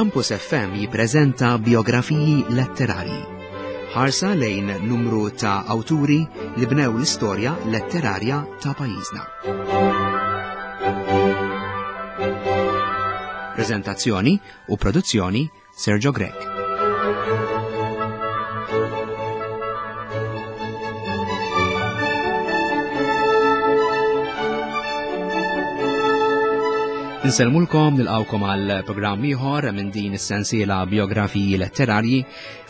Campus FM jippreżenta biografiji letterarji. Ħarsa lejn numru ta' awturi li bnew l-istorja letterarja ta' pajjiżna. Preżentazzjoni u produzzjoni Sergio Grech. Insellmulkom nilqawkom għal programm ieħor minn din is-sensiela biografiji letterarji.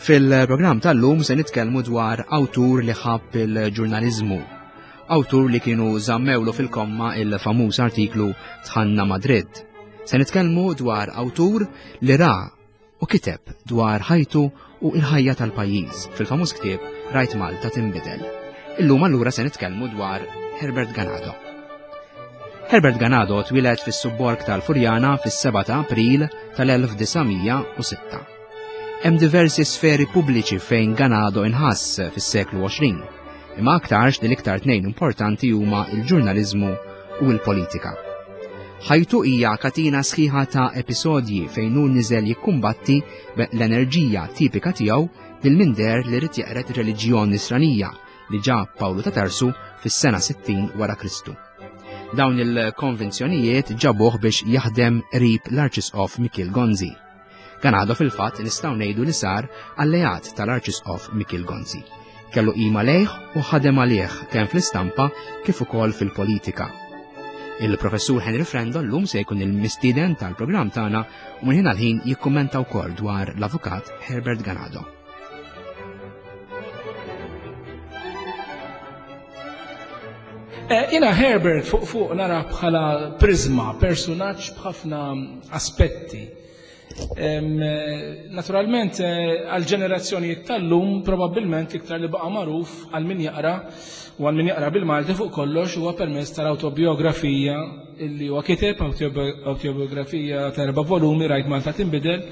Fil-programm tal-lum se nitkellmu dwar awtur li ħabb il-ġurnaliżmu. Awtur li kienu żammewlu fil-komma il-famuż artiklu Tħanna Madrid. Se nitkellmu dwar awtur li ra u kiteb dwar ħajtu u il-ħajja tal-pajjiż fil-famuż ktieb Rajt Malta tinbidel. Illum allura se nitkellmu dwar Herbert Ganado. Herbert Ganado twieled fis-subborg tal-Furjana fis-7 ta' April tal-1906. Hemm diversi sferi pubbliċi fejn Ganado inħass fis-seklu 20, imma aktarx li l-iktar tnejn importanti huma il-ġurnaliżmu u l-politika. Ħajtu hija katina sħiħa ta' episodji fejn hu niżel jikkumbatti l-enerġija tipika tiegħu lil minder li rid jeqred ir-reliġjon nisranija li ġab Pawlu ta' Tarsu fis-sena 60 wara Kristu. Dawn il-konvenzjonijiet ġabuh biex jaħdem qrib l-Arċisqof Mikiel Gonzi. Ganado fil-fatt nistgħu ngħidu li sar alleat tal-Arċisqof Mikiel Gonzi. Kellu qima lejh u ħadem għalih kemm fl-istampa kif ukoll fil-politika. Il-professur Henry Frendo llum se jkun il-mistieden tal-programm tagħna u minn ħin għal ħin jikkummenta wkoll dwar l-avukat Herbert Ganado. Eh, jina Herbert fuq fuq nara bħala prizma, personaġġ b'ħafna aspetti. Eh, naturalment, eh, għal ġenerazzjonijiet tal-lum, probabbilment iktar li baqa' magħruf għal min jaqra u għal min jaqra bil-Malti fuq kollox huwa permezz tal-autobiografija illi huwa kiteb, autobiografija ta' erba' volumi rajt Malta tinbidel,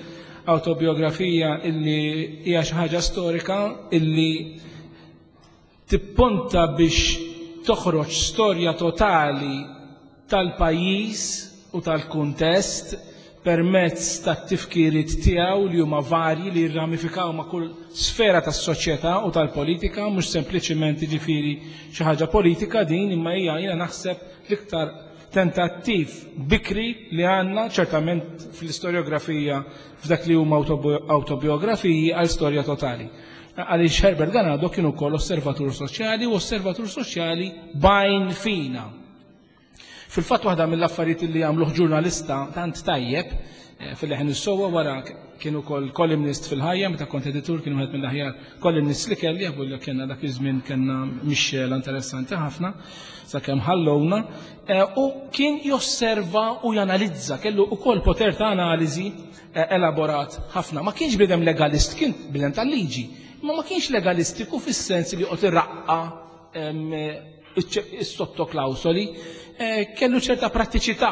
autobiografija illi hija xi ħaġa storika illi tipponta biex toħroġ storja totali tal-pajjiż u tal-kuntest permezz tat-tifkiriet tiegħu li huma varji li jirramifikaw ma' kull sfera tas-soċjetà u tal-politika, mhux sempliċiment jiġifieri xi ħaġa politika din imma hija jiena naħseb l-iktar tentattiv bikri li għandna ċertament fl-istorjografija f'dak li huma awtobiografiji għal storja totali. Għaliex Herbert Ganado kien ukoll osservatur soċjali u osservatur soċjali bajn fina. Fil-fatt waħda mill-affarijiet li għamluh ġurnalista tant tajjeb eh, fil-leħen is-sowa wara kien ukoll columnist fil-ħajja meta kont editur kien wieħed mill-aħjar columnist li kelli għabu li kienna dak iż-żmien kellna mixxela interessanti ħafna sakemm ħallowna eh, u kien josserva u janalizza kellu ukoll poter ta' analiżi eh, elaborat ħafna. Ma kienx bidem legalist, kien bidem tal-liġi, ma ma kienx legalistiku fis-sens li joqgħod irraqqa is-sottoklawsoli, eh, kellu ċerta prattiċità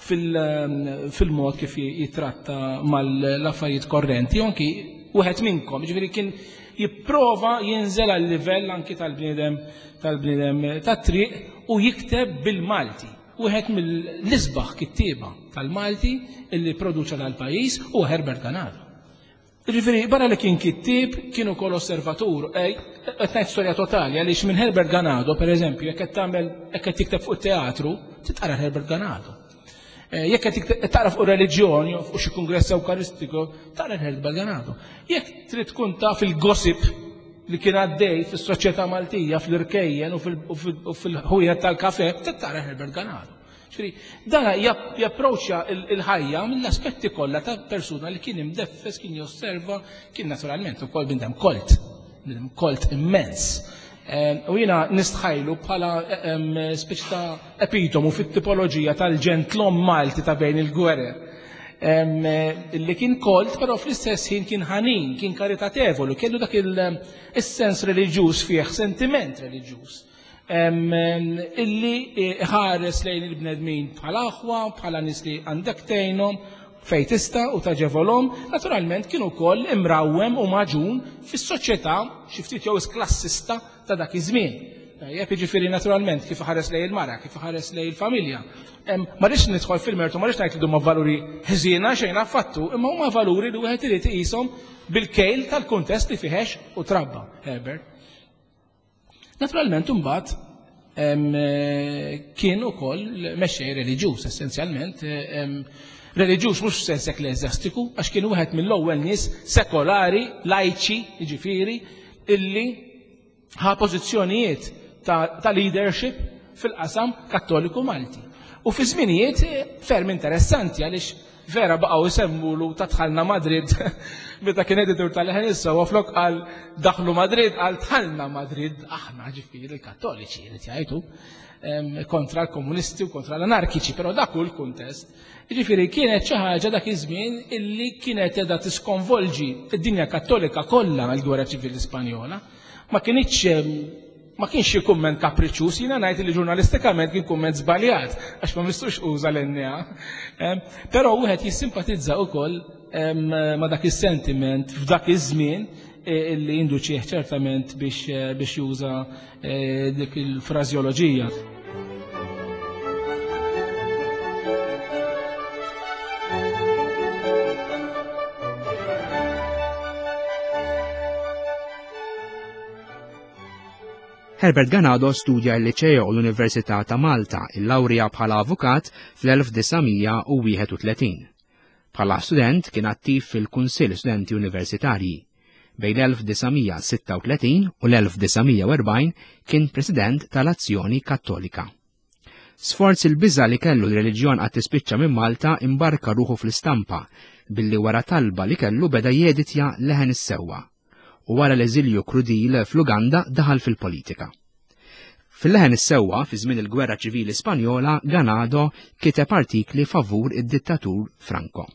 fil-mod kif jitratta mal-affarijiet korrenti, anki wieħed minnkom, ġifieri kien jipprova jinżel għal livell anki tal-bniedem tal-bniedem tat-triq u jikteb bil-Malti. Wieħed mill-isbaħ kittieba tal-Malti illi produċa dal-pajjiż huwa Herbert Ganado. Ġifieri, barra li kien kittieb, kien ukoll osservatur. Qed ngħid storja totali għaliex minn Herbert Ganado, pereżempju, jekk qed tagħmel jekk qed tikteb fuq it-teatru, titqara Herbert Ganado. Eh, jekk qed taqra fuq reliġjon jew fuq xi kungress Ewkaristiku, taqra Herbert Ganado. Jekk trid tkun taf il-gossip li kien għaddej fis-soċjetà Maltija, fl-irkejjen u fil-ħwienet tal-kafe, tara Herbert Ganado. Ġifieri, dan japproċċja il-ħajja mill-aspetti kollha ta' persuna li kien imdeffes, kien josserva, kien naturalment ukoll bniedem kolt, bniedem kolt immens. Ehm, u jiena nistħajlu bħala ehm, speċi ta' epitomu fit-tipoloġija tal-ġentlom Malti ta' bejn il-gwerer. Li kien kolt, però fl-istess ħin kien ħanin, kien karitatevolu, kellu dak il-sens reliġjuż fih, sentiment reliġjuż. Illi ħares lejn il-bnedmin bħala aħwa, bħala nies li għandek tgħinhom fejn tista' u taġevolhom, naturalment kien ukoll imrawwem u maġun fis-soċjetà xi ftit jew klassista ta' dak iż-żmien. Tajjeb, jiġifieri naturalment kif iħares lejn il-mara, kif iħares lejn il-familja. Ma rridx nidħol fil-mertu, ma rridx ngħid li huma valuri ħżiena xejn affattu, imma huma valuri li wieħed irid iqishom bil-kejl tal-kuntest li fih għex u trabba Herbert. Naturalment imbagħad kien ukoll mexxej reliġjuż essenzjalment, reliġjuż mhux f'sens ekkleżjastiku, għax kien wieħed mill-ewwel nies sekolari, lajċi, jiġifieri, illi ħa pożizzjonijiet ta', ta leadership fil-qasam kattoliku Malti. U fi żminijiet ferm interessanti għaliex vera baqgħu jsemmulu ta' dħalna Madrid meta kien editur tal-Leħen is-Sewwa flok qal daħlu Madrid qal dħalna Madrid aħna ġifieri l-Kattoliċi li jgħidu kontra l-komunisti u kontra l-anarkiċi, però dak hu l-kuntest. Jiġifieri kienet xi ħaġa dak iż-żmien illi kienet qiegħda tiskonvolġi d-dinja Kattolika kollha l-Gwerra Ċivili Spanjola. Ma kinitx ma kienx xi kumment kapriċċuż, jiena ngħid li ġurnalistikament kien kumment żbaljat għax ma mistux uża l-NA. Però wieħed jissimpatizza wkoll ma' dak is-sentiment f'dak iż-żmien e, illi induċih ċertament biex eh, juża eh, dik il-frażjoloġija. Herbert Ganado studja l-Liċeo u l-Università ta' Malta, illawrija bħala avukat fl-1931. Bħala student kien attiv fil-Kunsill Studenti Universitarji. Bejn l-1936 u l-1940 kien president tal-Azzjoni Kattolika. Sforz il-biża' li kellu li reliġjon qatt tispiċċa minn Malta imbarka ruħu fl-istampa billi wara talba li kellu beda jeditja Leħen is-Sewwa u wara l-eżilju krudil fl-Uganda daħal fil-politika. Fil-Leħen is-Sewwa fi żmien il-Gwerra Ċivili Spanjola Ganado kiteb artikli favur id-dittatur Franco.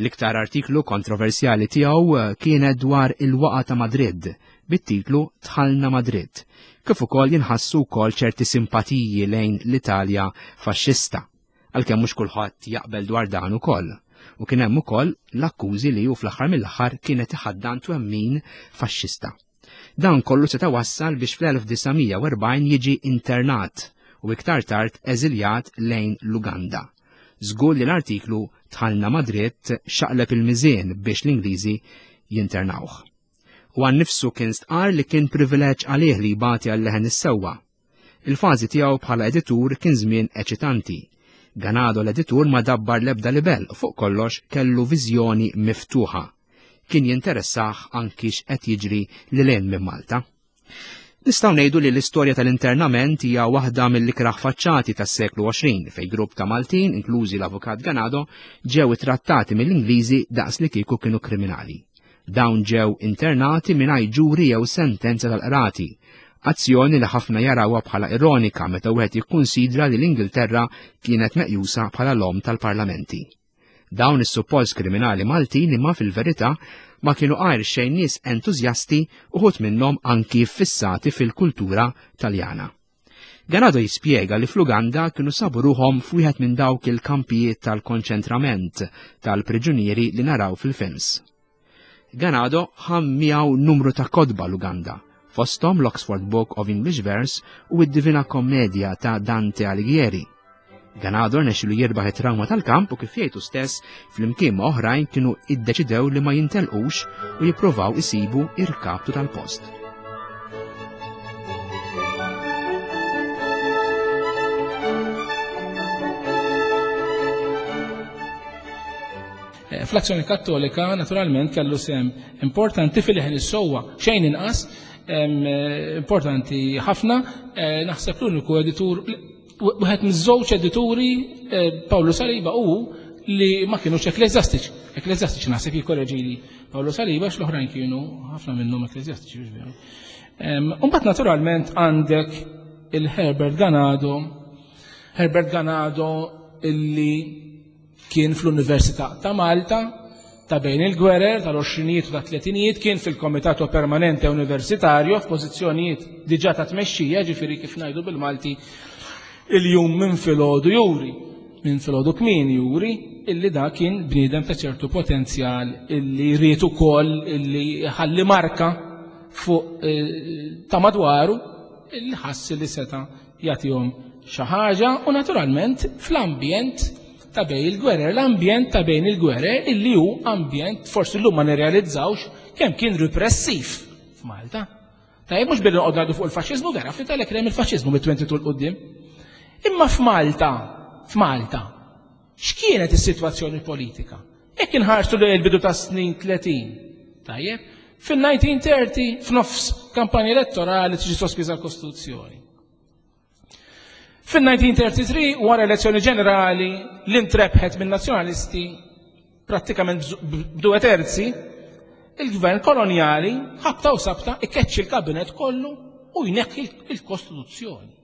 L-iktar artiklu kontroversjali tiegħu eh, kienet dwar il-waqa ta' Madrid bit-titlu Tħalna Madrid, kif ukoll jinħassu wkoll ċerti simpatiji lejn l-Italja faxxista, għalkemm mhux kulħadd jaqbel dwar dan ukoll. U kien hemm ukoll l-akkużi li hu fl-aħħar mill-aħħar kienet iħaddan twemmin faxxista. Dan kollu seta' wassal biex fl-1940 jiġi internat u iktar tard eżiljat lejn l-Uganda. Żgur li l-artiklu Dħalna Madrid xaqleb il-miżien biex l-Ingliżi jinternawh. Huwa nnifsu kien stqarr li kien privileġġ għalih li jbati għal leħen is-sewwa. Il-fażi tiegħu bħala editur kien żmien eċitanti. Ganado l-editur ma dabbar l-ebda libell u fuq kollox kellu viżjoni miftuħa. Kien jinteressah anki x'qed jiġri lil hinn minn Malta. Nistgħu ngħidu li l-istorja tal-internament hija waħda mill-ikrah faċċati tas-seklu 20 fejn grupp ta' Maltin, inklużi l-Avukat Ganado, ġew ittrattati mill-Ingliżi daqs li kieku kienu kriminali. Dawn ġew internati mingħajr ġuri jew sentenza tal-qrati, azzjoni li ħafna jarawha bħala ironika meta wieħed jikkunsidra li l-Ingilterra kienet meqjusa bħala l-omm tal-parlamenti. Dawn is-suppost kriminali Maltin imma fil-verità ma kienu għajr xejn nies entużjasti uħud minnhom anki ffissati fil-kultura Taljana. Ganado jispjega li fl-Uganda kienu sabu ruħhom f'wieħed minn dawk il-kampijiet tal-konċentrament tal-priġunieri li naraw fil-films. Ganado ħa miegħu numru ta' kotba l-Uganda, fosthom l-Oxford Book of English Verse u d-Divina Commedia ta' Dante Alighieri. Ganado rnexxilu jirbaħ it-trawma tal-kamp u kif jgħidu stess flimkien ma' oħrajn kienu iddeċidew li ma jintelqux u jippruvaw isibu irkaptu tal-post. Eh, fl-azzjoni kattolika naturalment kellu sem importanti fil-ħin is-sewwa xejn inqas eh, importanti ħafna eh, naħseb l-uniku editur Wieħed miż-żewġ edituri eh, Pawlu Saliba u li ma kienux ekkleżjastiċi. Ekkleżjastiċi naħseb jikkoreġili Pawlu Saliba għax l-oħrajn kienu ħafna minnhom ekkleżjastiċi biex veru. Imbagħad naturalment għandek il-Herbert Ganado, Herbert Ganado illi Kien fl-Università ta' Malta ta' bejn il-gwerer tal-għoxrinijiet u tat-tletinijiet, kien fil-Comitato Permanente Universitario f'pożizzjonijiet diġà ta' tmexxija, ġifieri kif ngħidu bil-Malti il-jum minn filgħodu juri, minn filgħodu kmieni juri illi da kien bniedem ta' ċertu potenzjal illi ried ukoll illi ħalli marka fuq eh, ta' madwaru. illi ħass li seta' jagħtihom xi ħaġa u naturalment fl-ambjent ta' bejn il-gwerer, l-ambjent ta' bejn il-gwerer illi hu ambjent forsi llum ma nirrealizzawx kemm kien repressiv f'Malta. Tajjeb mhux billi noqgħod ngħidu fuq il-faxxiżmu vera, fl-Italja kien hemm il-faxxiżmu mit-22 'l quddiem. Imma f'Malta, f'Malta, x'kienet is-sitwazzjoni politika? Jekk inħarsu lejn il-bidu tas-snin 30, tajjeb, fil-1930 f'nofs kampanja elettorali tiġi sospiża l-Kostituzzjoni. Fil-1933, wara elezzjoni ġenerali, li ntrebħet minn nazzjonalisti prattikament b'due terzi, il-gvern kolonjali ħabta u sabta ikkeċċi l-kabinet kollu u jneħħi il-Kostituzzjoni.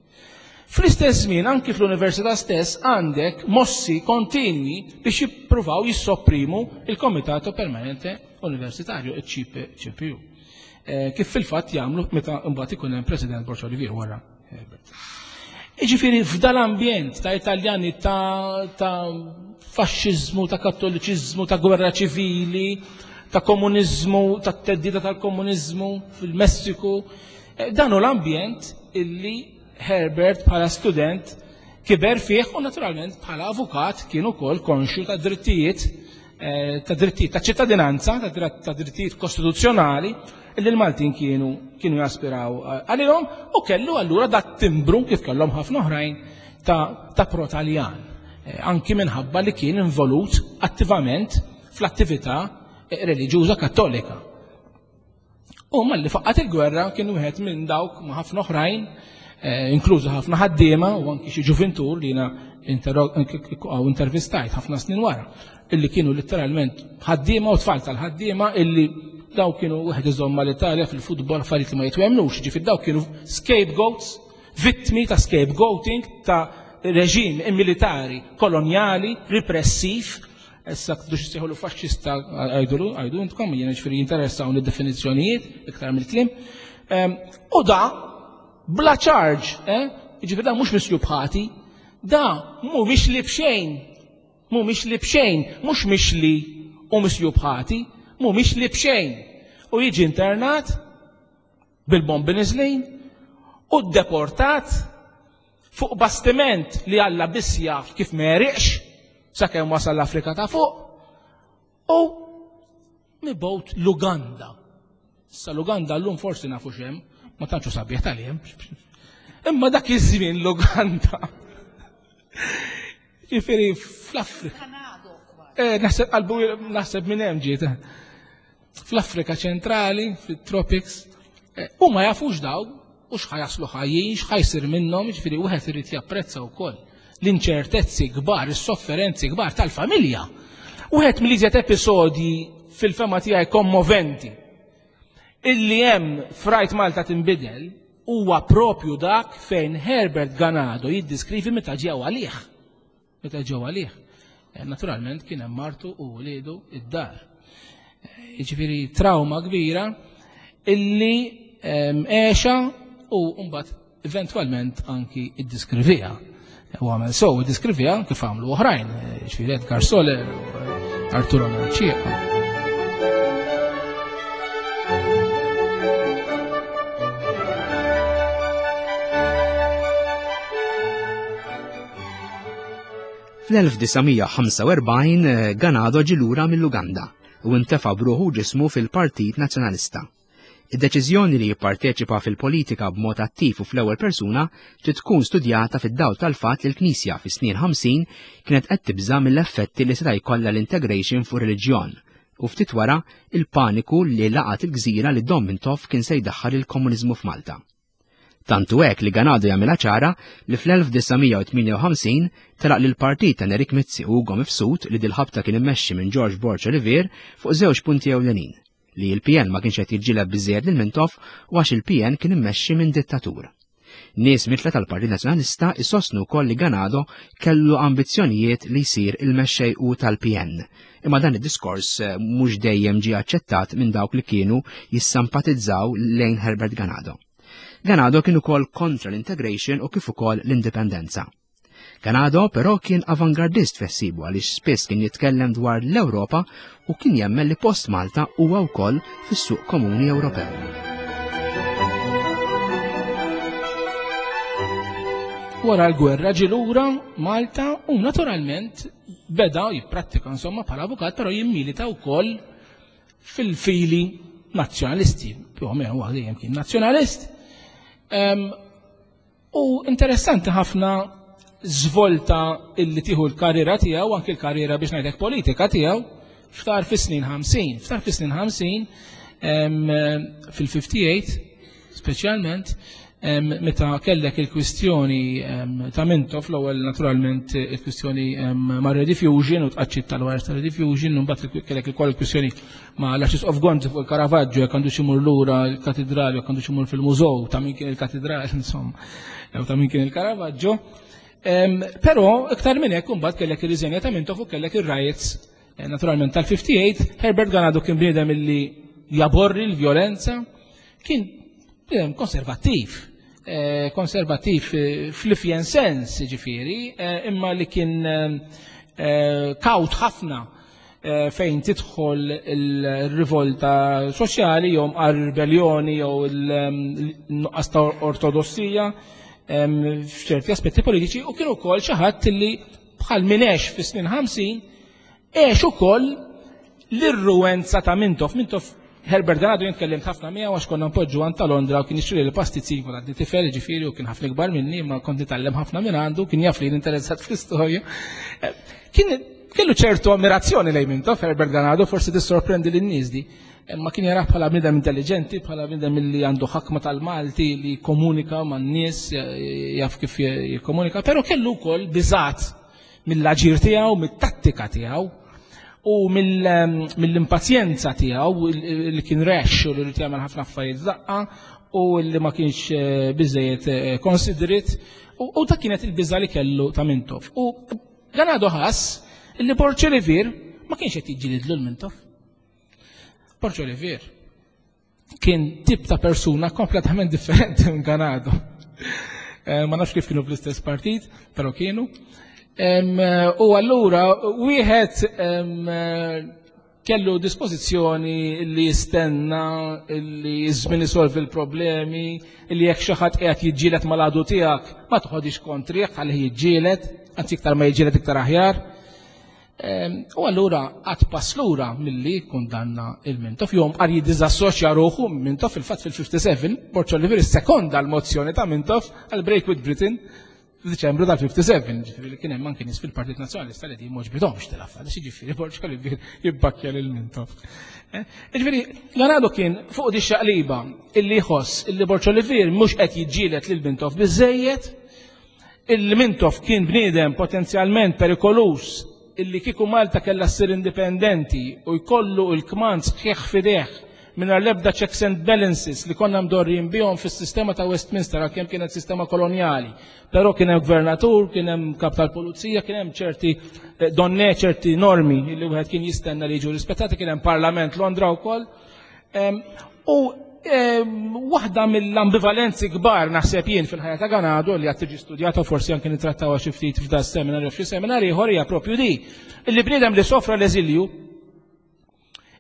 Fl-istess żmien anki fl-università stess għandek mossi kontinwi biex jippruvaw jissopprimu il-Komitato Permanente Universitarju, il-CPU. Eh, kif fil-fatt jagħmlu meta mbagħad ikun hemm President Borg Olivier wara Herbert. Iġifieri f'dal-ambjent ta' Italjani ta', ta faxxiżmu, ta' kattoliċiżmu, ta' gwerra ċivili, ta' komuniżmu, ta' teddida tal-komuniżmu fil-Messiku, eh, dan hu l-ambjent illi Herbert bħala student kiber fih u naturalment bħala avukat kien ukoll konxju ta' drittijiet eh, ta' drittijiet ta' ċittadinanza, ta' drittijiet kostituzzjonali li l-Maltin kienu kienu jaspiraw eh, għalihom u kellu allura dat timbru kif kellhom ħafna oħrajn ta', ta pro-Taljan. Eh, anki minħabba li kien involut attivament fl-attività reliġjuża kattolika. U malli faqqat il-gwerra kien wieħed minn dawk ma' ħafna oħrajn, eh, inklużu ħafna ħaddiema u anki xi ġuvintur li jiena intervistajt ħafna snin wara, illi kienu letteralment ħaddiema u tfal tal-ħaddiema illi daw kienu wieħed iżomm mal-Italja fil-futbol affarijiet li ma jitwemnux, ġifier daw kienu scapegoats, vittmi ta' scapegoating ta' reġim militari kolonjali repressiv Issa tridux issejħulu faxxista għajdulu, għajdu intkom, jiena ġifieri jinteressawni d-definizzjonijiet iktar mill-kliem. Ehm, u da bla charge, eh? Ġifieri da mhux misjub ħati, da mhuwiex li b'xejn, mhuwiex li b'xejn, mhux mixli u misjub ħati, mhuwiex li b'xejn. U jiġi internat bil-bombi niżlin u deportat fuq bastiment li Alla biss jaf kif ma għeriqx sakemm wasal l-Afrika ta' fuq u mibgħut l-Uganda. Issa l-Uganda llum forsi nafu xem, ma tantx sabiħ tal-jem. Imma dak iż-żmien l-Uganda. Ġifieri fl-Afrika. Eh, naħseb qalbu naħseb minn hemm ġiet. Fl-Afrika ċentrali, fit-tropics, eh, u ma jafux daw, u x'ħajaslu ħajjin, x'ħajsir minnhom, ġifieri wieħed irid japprezza wkoll l-inċertezzi kbar, is-sofferenzi kbar tal-familja. Wieħed mill-iżjed episodji fil-fema tiegħi kommoventi illi hemm frajt Malta tinbidel huwa propju dak fejn Herbert Ganado jiddiskrivi meta ġew għalih. Meta ġew għalih. Eh, naturalment kien hemm martu u wliedu id-dar. Eh, jiġifieri trauma kbira illi ehm, għexa u mbagħad eventwalment anki iddiskrivija. U għamel so, iddiskrivija kif għamlu oħrajn, eh, jiġifieri Edgar Soler, Arturo Mercieca. Fl-1945 Ganado ġie lura mill-Uganda u intefa' b'ruħu u ġismu fil-Partit Nazzjonalista. Id-deċiżjoni li jipparteċipa fil-politika b'mod attiv u fl-ewwel persuna trid tkun studjata fid-dawl tal-fatt li l-Knisja fis-snin 50 kienet qed tibża' mill-effetti li seta' jkollha l-integration fuq reliġjon u ftit wara il-paniku li laqat il-gżira li Dom Mintoff kien se jdaħħal il-komuniżmu f'Malta. Tant hu hekk li Ganado jagħmilha ċara li fl-1958 telaq lill-partit ta' Nerik Mizzi u Ugo Mifsud li dil-ħabta kien immexxi minn George Borg Olivier fuq żewġ punti ewlenin, li l-PN ma kienx qed jiġġieled biżżejjed lil Mintoff u għax il-PN kien immexxi minn dittatur. Nies mitla tal-Partit Nazzjonalista isostnu wkoll li Ganado kellu ambizzjonijiet li jsir il-mexxej u tal-PN. Imma dan id-diskors eh, mhux dejjem ġie aċċettat minn dawk li kienu jissampatizzaw lejn Herbert Ganado. Ganado kien ukoll kontra l-integration u kif ukoll l-indipendenza. Ganado però kien avangardist fessibu għaliex spiss kien jitkellem dwar l-Ewropa u kien jemmen li post Malta huwa wkoll fis-suq komuni Ewropew. Wara l-gwerra ġie lura Malta u naturalment beda jipprattika insomma bħala avukat, però jimmilita wkoll fil-fili nazzjonalisti. Più o meno huwa dejjem kien nazzjonalist. U interessanti ħafna żvolta illi tieħu l-karriera tiegħu, anki l-karriera biex ngħidlek politika tiegħu, ftar fis-snin 50. Ftar fis-snin 50 fil-58 speċjalment meta kellek il-kwistjoni ta' Mintoff, l-ewwel naturalment il-kwistjoni ma' Rediffusion u tqaċċit tal-wires ta' Rediffusion, u mbagħad kellek ukoll il-kwistjoni ma' l-Arċisqof Gonzi fuq il-Caravaggio, jekk għandux imur lura l-katidrali, jekk għandux imur fil-mużew ta' min kien il-katidral, insomma, jew ta' min kien il-Caravaggio. Però iktar minn hekk imbagħad kellek ir-riżenja ta' Mintoff u kellek ir-riots eh, naturalment tal-58. Herbert Ganado kien bniedem illi jaborri l-vjolenza, kien bniedem konservattiv, eh, konservattiv eh, fl-ifjen sens, ġifieri, imma li kien kawt ħafna fejn tidħol il-rivolta soċjali jew għar-ribellioni jew il-nuqqas ta' ortodossija f'ċerti aspetti politiċi u kien ukoll xi ħadd li bħal min għex fis-snin 50 għex ukoll l-irruenza ta' Mintoff. Mintoff Herbert Ganado jien tkellimt ħafna miegħu għax konna npoġġu għand ta' Londra u kien jixtri l-pastizzin kont għadni tifel ġifieri u kien ħafna ikbar minni imma kont nitgħallem ħafna minn għandu kien jaf li interessat fl-istorja. Eh, kien kellu ċertu ammirazzjoni lejn Mintoff Herbert Ganado forsi tissorprendi lin-nies di. Imma kien jarah bħala bniedem intelligenti, bħala bniedem li għandu ħakma tal-Malti li komunika man-nies, jaf kif jikkomunika, però kellu wkoll biżat mill-aġir tiegħu, mit-tattika tiegħu u mill-impazjenza tiegħu li kien rex u li rid jagħmel ħafna affarijiet daqqa u li ma kienx eh, biżejjed eh, considerate u dak kienet il-biża li kellu ta' Mintoff. U Ganado ħass li Borg Olivier ma kienx qed jiġġielidlu l-Mintoff. Borg Olivier kien tip ta' persuna kompletament differenti minn Ganado. Eh, ma nafx kif kienu fl-istess partit, però kienu. U allura wieħed kellu dispożizzjoni li jistenna li żmien isolvi l-problemi, li jekk xi ħadd qiegħed jiġġieled mal-għadu tiegħek ma toħodix kontrih ħalli jiġġieled, anzi iktar ma jiġġieled iktar aħjar. U allura għad pass lura milli kundanna il-Mintoff, jew qar jiddiżassoċja ruħu Mintoff fil-fatt fil-57, Borg Olivier sekonda l-mozzjoni ta' Mintoff għal Break with Britain f'Diċembru tal-57, ġifieri li kien hemm anke nies fil-Partit Nazzjonalista li din m'għoġbithomx tal-affar, ġifieri Borg Olivier jibbakkja lil Mintoff. Eh, ġifieri, Leonardo kien fuq di xaqliba illi jħoss illi Borg Olivier mhux qed jiġġieled lil Mintoff biżejjed, Illi Mintoff kien bniedem potenzjalment perikoluż illi kieku Malta kellha ssir indipendenti u jkollu l-kmand sħiħ f'idejh mingħajr l-ebda checks and balances li konna mdorrijin bihom fis-sistema ta' Westminster għalkemm kienet sistema kolonjali. Però kien hemm gvernatur, kien hemm kap tal-pulizija, kien hemm ċerti eh, donne, ċerti normi li wieħed kien jistenna li jiġu rispettati, kien hemm parlament Londra wkoll. U waħda mill-ambivalenzi kbar naħseb jien fil-ħajja ta' Ganado li għad tiġi studjata forsi anke nittrattawha xi ftit f'da seminar jew f'xi seminar ieħor hija propju di. Illi bniedem li sofra l-eżilju,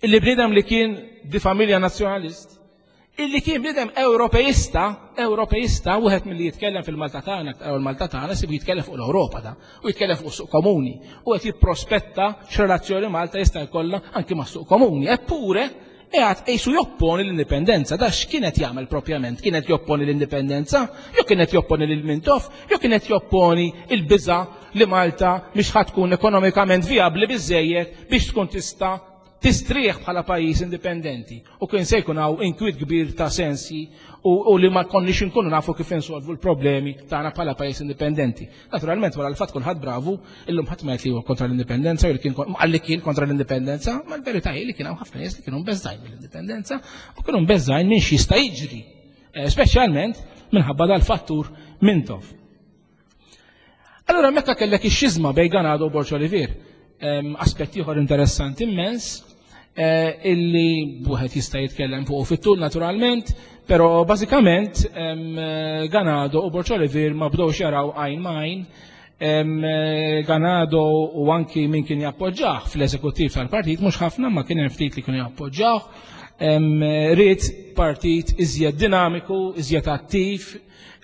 illi bniedem li kien di familja nazzjonalist, illi kien bniedem Ewropeista, Ewropeista, wieħed milli jitkellem fil-Malta tagħna, l-Malta tagħna sibu jitkellem fuq l-Ewropa da, u jitkellem fuq suq komuni, u qed jipprospetta x'relazzjoni Malta jista' jkollha anki mas-suq komuni. Eppure, Qiegħed qisu jopponi l-indipendenza. Da x'kien qed jagħmel propjament? Kien qed jopponi l-indipendenza? Jew kien qed jopponi lil Mintoff? Jew kien qed jopponi l-biża' li Malta mhix ħa tkun ekonomikament vijabbli biżżejjed biex tkun tista' tistrieħ bħala pajjiż indipendenti u kien se jkun hawn inkwiet kbir ta' sensji u, u li ma konniex inkunu nafu kif insolvu l-problemi tagħna bħala pajjiż indipendenti. Naturalment wara l-fatt kulħadd bravu, illum ħadd ma jgħid li huwa kontra l-indipendenza jew li kien li kien kontra l-indipendenza, ma l-verità hi li kien hawn ħafna nies li kienu mbeżżgħin mill-indipendenza u kienu mbeżżgħin minn x'jista' jiġri, eh, speċjalment minħabba dal-fattur Mintoff. Allura meta kellek ix-xiżma bejn Ganado u Borġ Olivier, aspett ieħor interessanti immens, eh, illi wieħed jista' jitkellem fuq fit-tul naturalment, però bażikament eh, Ganado u Borġ Olivier ma bdewx jaraw għajn ma' għajn. Eh, Ganado u anki min kien jappoġġah fl-eżekuttiv tal-partit, mhux ħafna ma kien hemm ftit li kienu jappoġġawh. Ried partit iżjed dinamiku, iżjed attiv,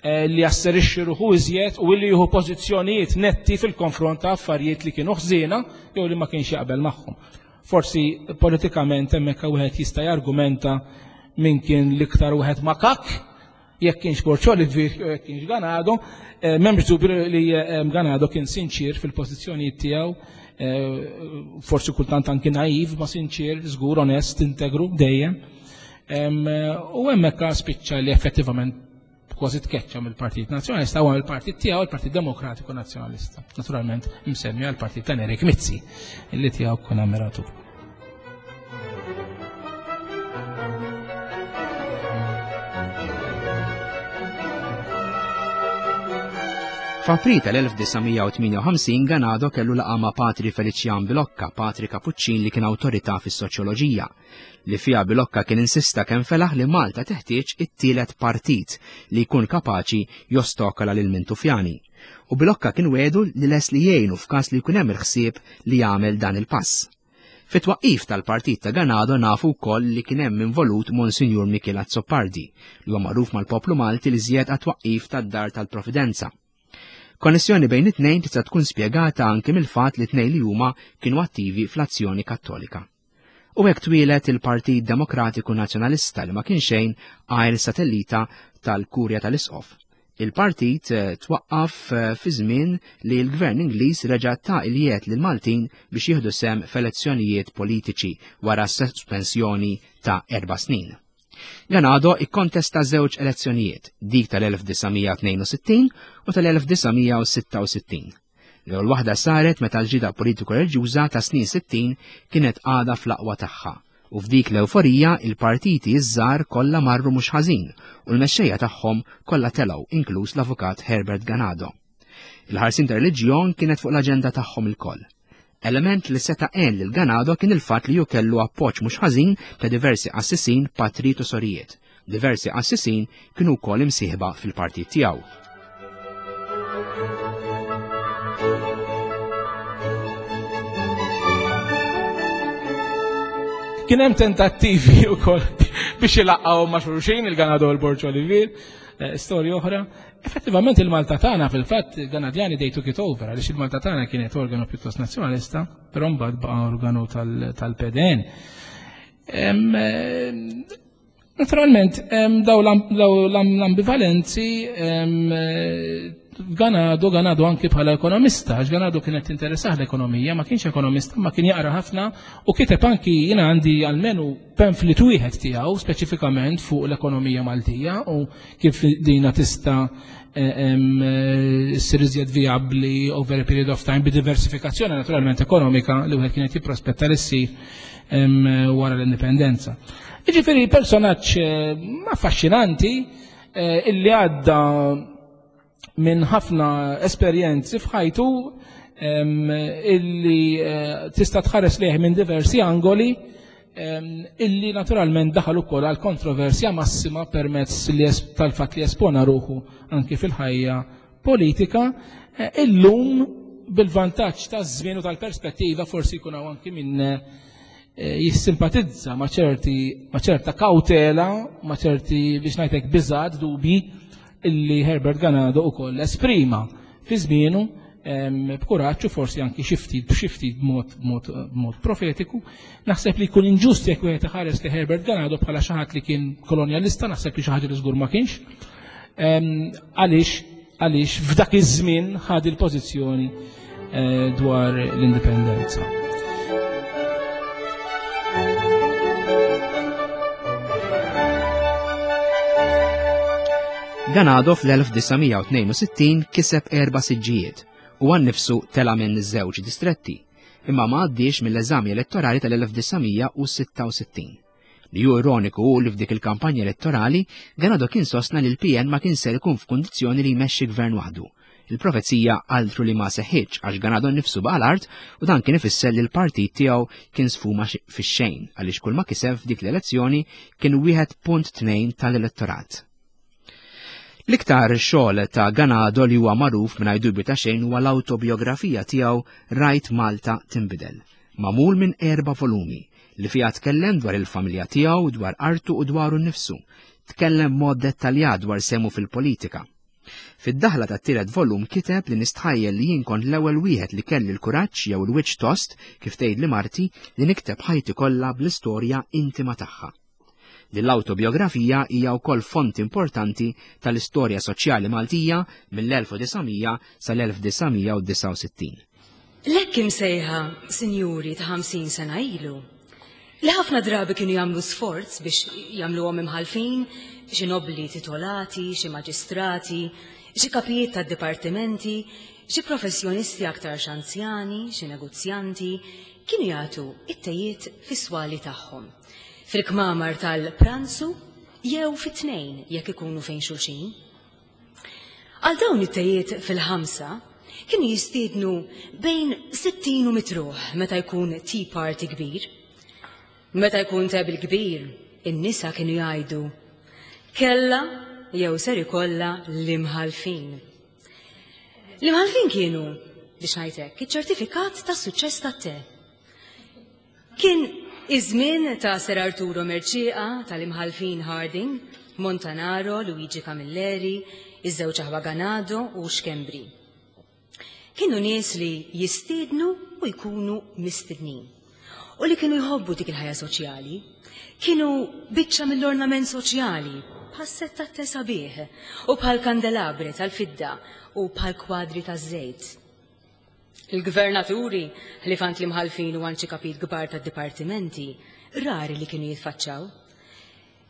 eh, li jasserixxi ruħu iżjed u li jieħu pożizzjonijiet netti fil-konfront ta' affarijiet li kienu ħżiena jew li ma kienx jaqbel magħhom. Forsi politikament hemmhekk wieħed jista' jargumenta min kien l-iktar wieħed makak, jekk kienx Borg Olivier jew jekk kienx Ganado, eh, m'hemmx dubju li eh, Ganado kien sinċir fil-pożizzjonijiet tiegħu, eh, forsi kultant anki naiv, ma sinċir, żgur, onest, integru, dejjem. U hemmhekk spiċċa li effettivament kważi tkeċċa mill-Partit Nazzjonalista u mill-partit tiegħu il-Partit Demokratiku Nazzjonalista. Naturalment msemmi għall-partit ta' Nerik Mizzi, illi tiegħu kun ammiratur. F'April tal-1958 Ganado kellu laqgħa ma' Patri Felician Bilocca, Patri Kapuċċin li kien awtorità fis-soċjoloġija, li fiha Bilocca kien insista kemm felaħ li Malta teħtieġ it-tielet partit li jkun kapaċi jostokola lil Mintufjani. U Bilocca kien wegħdu li les li jgħinu f'każ li jkun hemm il-ħsieb li jagħmel dan il-pass. Fit-twaqqif tal-partit ta' Ganado nafu wkoll li kien hemm involut Monsinjur Mikiel Azzopardi, li huwa magħruf mal-poplu Malti li żjed għat-twaqqif tad-Dar tal-Providenza. Konnessjoni bejn it-tnejn tista' tkun spjegata anki mill-fatt li tnejn li huma kienu attivi fl-azzjoni Kattolika. U hekk twieled il-Partit Demokratiku Nazzjonalista li ma kien xejn għajr satellita tal-Kurja tal-Isqof. Il-partit eh, twaqqaf eh, fi żmien li l-gvern Ingliż reġa' ta' il-jiet lil Maltin biex jieħdu sem f'elezzjonijiet politiċi wara sospensjoni ta' erba' snin. Ganado ikkontesta żewġ elezzjonijiet, dik tal-1962 u tal-1966. L-ewwel waħda saret meta l-ġida politiku reliġjuża ta' snin 60 kienet għadha fl-aqwa tagħha U f'dik l-ewforija il-partiti ż-żgħar kollha marru mhux ħażin u l-mexxejja tagħhom kollha telgħu inkluż l-avukat Herbert Ganado. Il-ħarsin ta' reliġjon kienet fuq l-aġenda tagħhom ilkoll. Element li seta' għen lil Ganado kien il-fatt li hu kellu appoġġ mhux ħażin ta' diversi qassisin, patrijiet u sorijiet. Diversi qassisin kienu wkoll imsieħba fil-partit tiegħu. Kien hemm tentattivi wkoll biex ilaqqgħu ma' xulxin il-Ganado u l-Borġ Olivier, eh, storja oħra. Effettivament il-Malta tagħna fil-fatt Ganadjani they took it over għaliex il-Malta tagħna kienet organu pjuttost nazzjonalista, però mbagħad baqa' organu tal-PDN. Eh, naturalment, daw l-ambivalenzi Ganado, Ganado anki bħala ekonomista, għax Ganado kienet interessah l-ekonomija, ma kienx ekonomista, ma kien jaqra ħafna u kiteb anki jina għandi għalmenu pamphlet wieħed tiegħu speċifikament fuq l-ekonomija Maltija u kif dina tista' eh, ssir iżjed vijabbli over a period of time bi diversifikazzjoni naturalment ekonomika li wieħed kienet jipprospetta li ssir wara l-indipendenza. Jiġifieri personaġġ eh, affaxxinanti eh, illi għadda minn ħafna esperjenzi f'ħajtu illi eh, tista' tħares lejh minn diversi angoli illi naturalment daħal ukoll għal kontroversja massima permezz tal-fatt li espona ruħu anki fil-ħajja politika, eh, illum bil-vantaġġ taż-żmien u tal-perspettiva forsi jkun hawn anki min eh, jissimpatizza ma' ċerti ma' ċerta kawtela, ma' ċerti biex ngħidlek biżgħat dubi illi Herbert Ganado ukoll esprima fi żmienu b'kuraġġ u forsi anki xi ftit b'xi ftit b'mod b'mod profetiku. Naħseb li jkun inġust jekk wieħed iħares li Herbert Ganado bħala xi ħadd li kien kolonjalista, naħseb li xi ħaġa li żgur ma kienx. Għaliex għaliex f'dak iż-żmien ħad il-pożizzjoni eh, dwar l-indipendenza. Ganado fl-1962 kiseb erba' siġġijiet u għan nifsu tela' minn żewġ distretti, imma ma għaddiex mill-eżami elettorali tal-1966. Li hu ironiku hu li f'dik il-kampanja elettorali, Ganado kien sostna li l-PN ma kien ser ikun f'kundizzjoni li jmexxi gvern waħdu. Il-profezija altru li ma seħħitx għax Ganado nnifsu baqa' l-art u dan kien ifisser li l-partit tiegħu kien sfuma fix-xejn għaliex kull ma kiseb f'dik l-elezzjoni kien 1.2 tal-elettorat. L-iktar xogħol ta' Ganado li huwa magħruf mingħajr dubju ta' xejn huwa l-awtobiografija tiegħu Rajt Malta Tinbidel, magħmul minn erba' volumi. li fiha tkellem dwar il-familja tiegħu, dwar artu u dwaru nnifsu. Tkellem mod dettaljat dwar semu fil-politika. Fid-daħla tat-tielet volum kiteb li nistħajjel li jien kont l-ewwel wieħed li kelli l-kuraġġ jew il-wiċċ tost, kif tgħidli marti, li nikteb ħajti kollha bl-istorja intima tagħha. Din l-awtobiografija hija wkoll font importanti tal-istorja soċjali Maltija mill-1900 sal-1969. L-hekk imsejħa sinjuri ta' 50 sena ilu, li ħafna drabi kienu jagħmlu sforz biex jagħmluhom imħallfin, xi nobbli titolati, xi maġistrati, xi kapijiet tad-dipartimenti, xi professjonisti aktarx anzjani, xi negozjanti, kienu jagħtu it-tejiet fis-swali tagħhom, fil-kmamar tal-pranzu jew fit-tnejn jekk ikunu fejn xulxin. Għal dawn it-tejiet fil-ħamsa kienu jistiednu bejn 60 u mitruħ meta jkun tea party kbir. Meta jkun table kbir, in-nisa kienu jgħidu kella jew ser ikollha l-imħalfin. L-imħalfin kienu, biex ngħid hekk, iċ-ċertifikat tas-suċċess tat-te. Kien iż-żmien ta' Sir Arturo Mercieca, tal-Imħallfin Harding, Montanaro, Luigi Camilleri, iż-żewġ aħwa Ganado u Schembri. Kienu nies li jistiednu u jkunu mistednin. U li kienu jħobbu dik il-ħajja soċjali. Kienu biċċa mill-ornament soċjali, bħas-sett tat-te sabiħ, u bħal kandelabre tal-fidda u bħal kwadri taż-żejt. Il-gvernaturi, ħlief għand l-imħallfin u għand xi kapijiet kbar tad-dipartimenti, rari li kienu jitfaċċaw.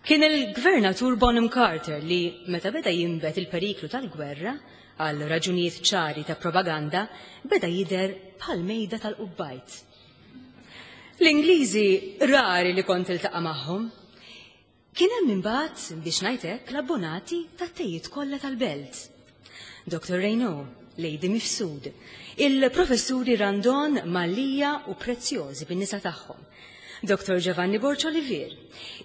Kien il-Gvernatur Bonham Carter li, meta beda jinbet il-periklu tal-gwerra, għal raġunijiet ċari ta' propaganda, beda jidher bħal mejda tal-qubbajt. L-Ingliżi rari li kont tiltaqa' magħhom. Kien hemm imbagħad, biex ngħid hekk, l-abbonati tat-tejiet kollha tal-belt. Dr. Reynaud, Lady Mifsud, il-Professuri Randon, Mallia u Preziosi bin-nisa tagħhom, Dr. Giovanni Borg Olivier,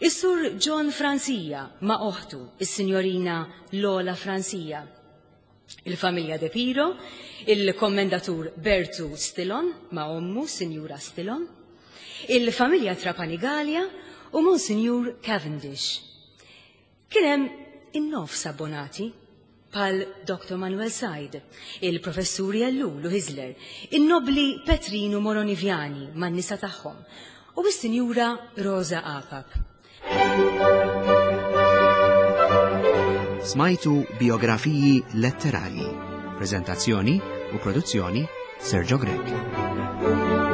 is-Sur John Francia ma' oħtu, is-Sinjorina Lola Francia, il-familja De Piro, il-Kommendatur Bertu Stilon ma' ommu, Sinjura Stilon, il-familja Trapani Galea u Monsinjur Cavendish. Kien hemm in-nofs abbonati, bħal Dr. Manuel Said, il-Professuri Ellul u Hyzler, in-nobbli Petrinu Moroniviani man-nisa tagħhom u s-Sinjura Rosa Apap. Smajtu biografiji letterarji. Prezentazzjoni u produzzjoni Sergio Grech.